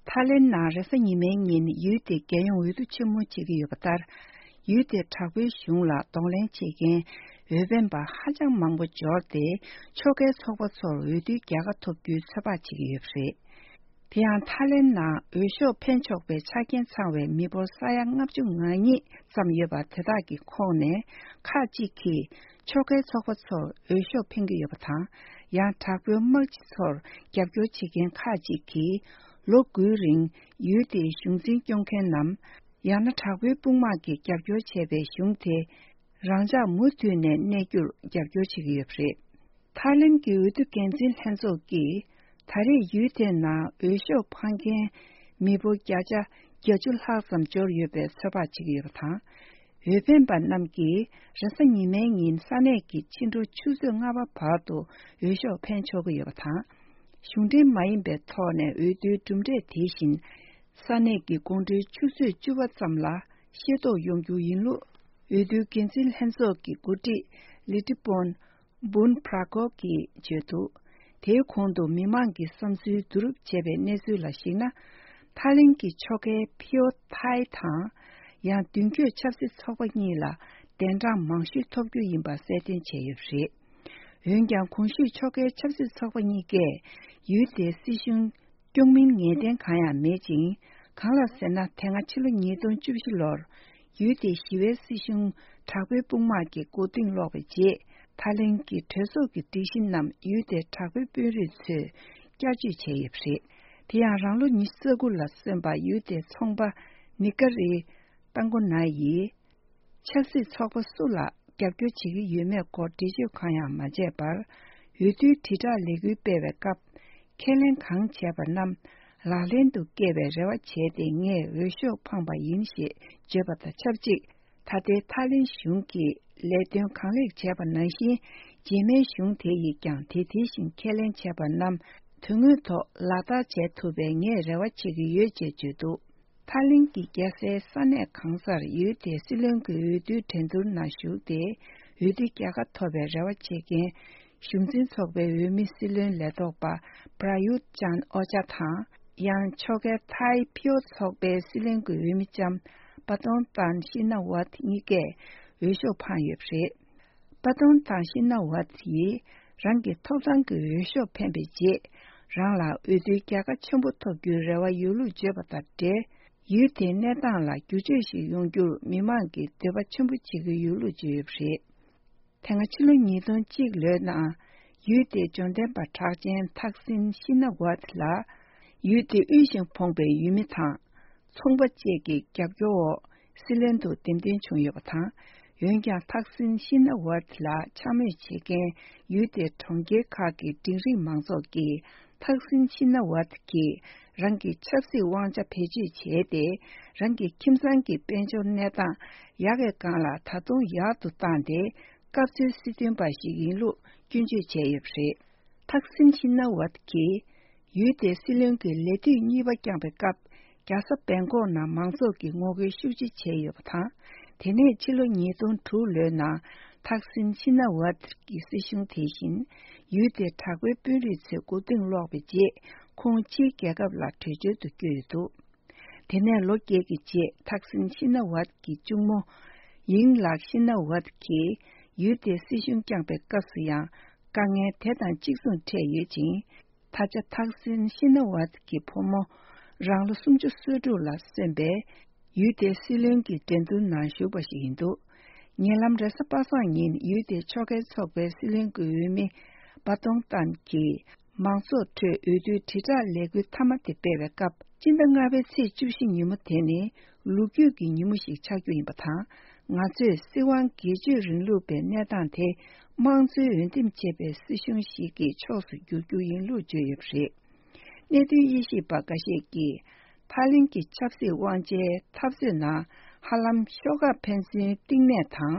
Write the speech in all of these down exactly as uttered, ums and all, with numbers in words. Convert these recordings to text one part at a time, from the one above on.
ཐའི་ལེན་ནང་རེས་གཟའ་ཉི་མའི་ཉིན་ཡུལ་དེའི་རྒྱལ་ཡོངས་འོས་བསྡུ་ཆེན་མོ་བྱེད་ཀྱི་ཡོད་པ་ལྟར། ཡུལ་དེའི་དྲག་པོའི་གཞུང་ལ་གདོང་ལེན་བྱེད་མཁན་འོས་འཕེན་པ་ཧ་ཅང་མང་པོ་འབྱོར་ཏེ། ཕྱོགས་འགལ་ཚོགས་པ་ཚོར་འོས་བསྡུའི་རྒྱལ་ཁ་ཐོབ་རྒྱུའི་ཚོད་དཔག་བྱེད་ཀྱི་ཡོད་པ་རེད། དེ་ཡང་ཐའི་ལེན་ནང་འོས་ཤོག་འཕེན་ཆོག་པའི་ཆ་རྐྱེན་ཚང་བའི་མི་འབོར་ས་ཡ་ལྔ་བཅུ་ང་གཉིས་ཙམ་ཡོད་པ་དེ་དག་གི་ཁོངས་ནས་ཁག་ཅིག་གིས་ཕྱོགས་འགལ་ཚོགས་པ་ཚོར་འོས་ཤོག་འཕེན་གྱི་ཡོད་པ་དང་། ཡང་དྲག་པོའི་དམག་སྤྱི་ཚོར་རྒྱབ་སྐྱོར་བྱེད་མཁན་ཁག་ཅིག་གིས་ལོ་དགུའི་རིང་ཡུལ་དེའི་གཞུང་འཛིན་སྐྱོང་མཁན་ནམ། ཡང་ན་དྲག་པོའི་དཔུང་དམག་གིས་རྒྱབ་སྐྱོར་བྱས་པའི་གཞུང་དེ་རང་འཇགས་མུ་མཐུད་ནས་གནས་རྒྱུར་རྒྱབ་སྐྱོར་བྱེད་ཀྱི་ཡོད་པ་རེད། ཐའི་ལེན་གྱི་འོས་བསྡུ་འགན་འཛིན་ལྷན་ཚོགས་ཀྱིས་ད་རེས་ཡུལ་དེའི་ནང་འོས་ཤོག་འཕང་མཁན་མི་འབོར་བརྒྱ་ཆ་བརྒྱད་ཅུ་ལྷག་ཙམ་འབྱོར་ཡོད་པའི་ཚོད་དཔག་བྱེད་ཀྱི་ཡོད་པ་དང་། འོས་འཕེན་པ་རྣམས་ཀྱིས་རེས་གཟའ་ཉི་མའི་ཉིན་ས་གནས་ཀྱི་ཕྱི་དྲོ་ཆུ་ཚོད་ལྔ་པ་བར་དུ་འོས་ཤོག་འཕེན་ཆོག་གི་ཡོད་པ་དང་། གཞུང་འབྲེལ་མ་ཡིན་པའི་ཐོག་ནས་འོས་བསྡུའི་གྲུབ་འབྲས་དེ་བཞིན་ས་གནས་ཀྱི་དགོང་དྲོའི་ཆུ་ཚོད་བཅུ་པ་ཙམ་ལ་ཤེས་རྟོགས་ཡོང་རྒྱུ་ཡིན་ལུགས་འོས་བསྡུའི་འགན་འཛིན་ལྷན་ཚོགས་ཀྱི་འགོ་ཁྲིད་ལི་ཏི་པོན་བུན་བྷ་ཀོ་གིས་བརྗོད་འདུག་དེའི་གོང་དུ་མི་མང་གི་བསམ་ཚུལ་བསྡུ་རུབ་བྱས་པའི་གནས་ཚུལ་ལ་གཞིགས་ན། ཐའི་ལེན་གྱི་ཕྱོགས་འགལ་ཕིའོ་ཐའི་དང་། ཡང་མདུན་སྐྱོད་ཆབ་སྲིད་ཚོགས་པ་གཉིས་ལ་གདན་གྲངས་མང་ཤོས་ཐོབ་རྒྱུ་ཡིན་པ་གསལ་སྟོན་བྱས་ཡོད་པ་རེད། འོན་ཀྱང་གོང་ཞུས་ཕྱོགས་འགལ་ཆབ་སྲིད་ཚོགས་པ་གཉིས་ཀས་ཡུལ་དེའི་སྲིད་གཞུང་སྐྱོང་མིན་ངེས་གཏན་གང་ཡང་མེད་ཅིང་། གང་ལགས་ཟེར་ན། དེ་སྔ་ཕྱི་ལོ་ཉིས་སྟོང་བཅུ་བཞི་ལོར་ཡུལ་དེའི་ཞི་བའི་སྲིད་གཞུང་དྲག་པོའི་དཔུང་དམག་གིས་མགོ་རྟིང་སློག་པའི་རྗེས། ཐའི་ལེན་གྱི་གྲོས་ཚོགས་ཀྱི་སྒྲིག་གཞི་རྣམས་ཡུལ་དེའི་དྲག་པོའི་དཔོན་རིགས་ཚོས་བསྐྱར་བཅོས་བྱས་ཡོད་པ་རེད། དེ་ཡང་རང་ལོ་ཉི་ཤུ་རྩ་དགུ་ལ་སོན་པ་ཡུལ་དེའི་ཚོང་པ་ནི་ཀ་རི་ཏང་གོ་ན་ཡིས། ཆབ་སྲིད་ཚོགས་པ་སུ་ལ་རྒྱབ་སྐྱོར་བྱེད་ཀྱི་ཡོད་མེད་སྐོར་འགྲེལ་བརྗོད་གང་ཡང་མ་བྱས་པར། འོས་བསྡུའི་དྲིལ་བསྒྲགས་ལས་འགུལ་སྤེལ་བའི་སྐབས། ཁས་ལེན་གང་བྱས་པ་རྣམས་ལག་ལེན་དུ་བསྐྱལ་བའི་རེ་བ་བྱས་ཏེ། ངས་འོས་ཤོག་འཕངས་པ་ཡིན་ཞེས་བརྗོད་པ་དང་ཆབས་ཅིག་ད་ལྟའི་ཐའི་ལེན་གཞུང་གིས་ལས་དོན་གང་ལེགས་བྱས་པ་ནང་བཞིན། རྗེས་མའི་གཞུང་དེ་ཡིས་ཀྱང་དེ་དེ་བཞིན་ཁས་ལེན་བྱས་པ་རྣམས་དོན་དངོས་ཐོག་ལག་བསྟར་བྱེད་ཐུབ་པའི་ངས་རེ་བ་བྱེད་ཀྱི་ཡོད་ཅེས་བརྗོད་འདུག་ཐའི་ལེན་གྱི་རྒྱལ་སའི་ས་གནས་གང་སར་ཡུལ་དེའི་སྲིད་བློན་གྱི་འོས་བསྡུའི་འགྲན་བསྡུར་ནང་ཞུགས་ཏེ། འོས་བསྡུའི་རྒྱལ་ཁ་ཐོབ་པའི་རེ་བ་བྱེད་མཁན་གཞུང་འཛིན་ཚོགས་པའི་འོས་མི་སྲིད་བློན་ལས་ཐོག་པ་པྲ་ཡུད་ཅན་ཨོ་ཅཱ་དང་། ཡང་ཕྱོགས་འགལ་ཐའི་ཕིའོ་ཚོགས་པའི་སྲིད་བློན་གྱི་འོས་མི་ལྕམ་པ་ཏོང་ཏན་ཤི་ན་ཝད་གཉིས་ཀས་འོས་ཤོག་འཕངས་ཡོད་པ་རེད། པ་ཏོང་ཏན་ཤི་ན་ཝད་ཡིས་རང་གི་ཐོབ་ཐང་གི་འོས་ཤོག་འཕེན་པའི་རྗེས། རང་ལ་འོས་བསྡུའི་རྒྱལ་ཁ་ཆེན་པོ་ཐོབ་རྒྱུའི་རེ་བ་ཡོད་ལུགས་བརྗོད་པ་དང་འབྲེལ། ཡུལ་དེའི་གནས་སྟངས་ལ་བསྒྱུར་བཅོས་ཤིག་ཡོང་རྒྱུར་མི་མང་གིས་འདོད་པ་ཆེན་པོ་བྱེད་ཀྱི་ཡོད་ལུགས་བརྗོད་ཡོད་པ་རེད། དེ་སྔ་ཕྱི་ལོ་ཉིས་སྟོང་གཅིག་ལོའི་ནང་ཡུལ་དེའི་འབྱོར་ལྡན་པ་གྲགས་ཅན་ཐག་སིན་ཤི་ན་ཝད་ལ། ཡུལ་དེའི་དབུལ་ཞིང་ཕོངས་པའི་ཡུལ་མི་དང་ཚོང་པ་བཅས་ཀྱི་རྒྱབ་སྐྱོར་འོག་སྲིད་བློན་དུ་འདེམས་ཐོན་བྱུང་ཡོད་པ་དང་། འོན་ཀྱང་ཐག་སིན་ཤི་ན་ཝད་ལ་འཕྱ་སྨོད་བྱེད་མཁན་ཡུལ་དེའི་གྲོང་ཁྱེར་ཁག་གི་འབྲིང་རིམ་མང་ཚོགས་ཀྱིས་ཐག་སིན་ཤི་ན་ཝད་ཀྱིས་རང་གི་ཆབ་སྲིད་དབང་ཆ་བེད་སྤྱོད་བྱས་ཏེ། རང་གི་ཁྱིམ་ཚང་གི་དཔལ་འབྱོར་གནས་སྟངས་ཡག་གི་སྒང་ལ་ད་དུང་ཡག་ཏུ་བཏང་སྟེ། སྐབས་འཚོལ་སྲིད་དོན་པ་ཞིག་ཡིན་ལུགས་སྐྱོན་བརྗོད་བྱས་ཡོད་པ་རེད། ཐག་སིན་ཤི་ན་ཝད་ཀྱིས་ཡུལ་དེའི་སྲིད་བློན་གྱི་ལས་དུས་གཉིས་པ་བསྐྱངས་པའི་སྐབས། རྒྱལ་ས་བེང་ཀོག་ནང་མང་ཚོགས་ཀྱིས་ངོ་རྒོལ་ཤུགས་ཆེ་བྱས་ཡོད་པ་དང་། དེ་ནས་ཕྱི་ལོ་ཉིས་སྟོང་དྲུག་ལོའི་ནང་ཐག་སིན་ཤི་ན་ཝད་ཀྱི་སྲིད་གཞུང་དེ་བཞིན་ཡུལ་དེའི་དྲག་པོའི་དཔོན་རིགས་ཚོས་མགོ་རྟིང་སློག་པའི་རྗེས། ཁོང་ཕྱིའི་རྒྱལ་ཁབ་ལ་བྲོས་བྱོལ་དུ་བསྐྱོད་ཡོད་འདུག་དེ་ནས་ལོ་བརྒྱད་ཀྱི་རྗེས། ཐག་སིན་ཤི་ན་ཝད་ཀྱི་གཅུང་མོ་ཡིང་ལགས་ཤི་ན་ཝད་ཀྱིས་ཡུལ་དེའི་སྲིད་གཞུང་བསྐྱངས་པའི་སྐབས་སུ་ཡང་། དཀའ་ངལ་དེ་དང་གཅིག་མཚུངས་འཕྲད་ཡོད་ཅིང་། ད་ཆ་ཐག་སིན་ཤི་ན་ཝད་ཀྱི་བུ་མོ་རང་ལོ་སུམ་ཅུ་སོ་དྲུག་ལ་སོན་པའི་ཡུལ་དེའི་སྲིད་བློན་གྱི་འགྲན་བསྡུར་ནང་ཞུགས་པ་ཞིག་ཡིན་འདུག་ཉེ་ལམ་རེས་གཟའ་པ་སངས་ཉིན་ཡུལ་དེའི་ཕྱོགས་འགལ་ཚོགས་པའི་སྲིད་བློན་གྱི་འོས་མི་པ་ཏོང་ཏན་གྱིས། མང་ཚོགས་ཁྲོད་འོས་བསྡུའི་དྲིལ་བསྒྲགས་ལས་འགུལ་མཐའ་མ་དེ་སྤེལ་བའི་སྐབས། སྤྱི་ཟླ་ལྔ་པའི་ཚེས་བཅུ་བཞི་ཉིན་མོ་དེ་ནི་ལོ་རྒྱུས་ཀྱི་ཉིན་མོ་ཞིག་ཆགས་རྒྱུ་ཡིན་པ་དང་། ང་ཚོས་སྲིད་དབང་སྒེར་གཅོད་རིང་ལུགས་པའི་གནས་སྟངས་དེ་དམངས་གཙོའི་འོས་འདེམས་བྱས་པའི་སྲིད་གཞུང་ཞིག་གི་ཕྱོགས་སུ་བསྒྱུར་རྒྱུ་ཡིན་ལུགས་བརྗོད་ཡོད་པ་རེད། གནད་དོན་དབྱེ་ཞིབ་པ་འགའ་ཤས་ཀྱིས་ཐའི་ལེན་གྱི་ཆབ་སྲིད་དབང་ཆའི་འཐབ་རྩོད་ནང་ཧ་ལམ་ཤོག་ཁག་ཕན་ཚུན་གཏིང་ནས་དང་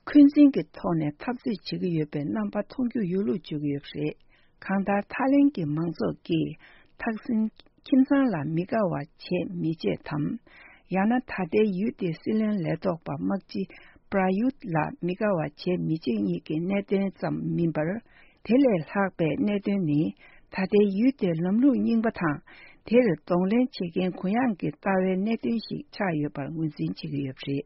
འཁོན་འཛིན་གྱི་ཐོག་ནས་འཐབ་རྩོད་བྱེད་ཀྱི་ཡོད་པའི་རྣམ་པ་མཐོང་རྒྱུ་ཡོད་ལུགས་བརྗོད་ཀྱི་ཡོད་པ་རེད། གང་ལྟར་ཐའི་ལེན་གྱི་མང་ཚོགས་ཀྱིས་ཐག་སིན་ཁྱིམ་ཚང་ལ་མི་དགའ་བ་བྱེད་མི་བྱེད་དམ། ཡང་ན་ད་ལྟའི་ཡུལ་དེའི་སྲིད་བློན་ལས་ཐོག་པ་དམག་སྤྱི་པྲ་ཡུད་ལ་མི་དགའ་བ་བྱེད་མི་བྱེད་གཉིས་ཀྱི་གནད་དོན་ཙམ་མིན་པར། དེ་ལས་ལྷག་པའི་གནད་དོན་ནི། ད་ལྟའི་ཡུལ་དེའི་ལམ་ལུགས་རྙིང་པ་དང་ དེར་གདོང་ལེན་བྱེད་མཁན་གུ་ཡངས་ཀྱི་ལྟ་བའི་གནད་དོན་ཞིག་ཆགས་ཡོད་པར་ངོས་འཛིན་བྱེད་ཀྱི་ཡོད་པ་རེད།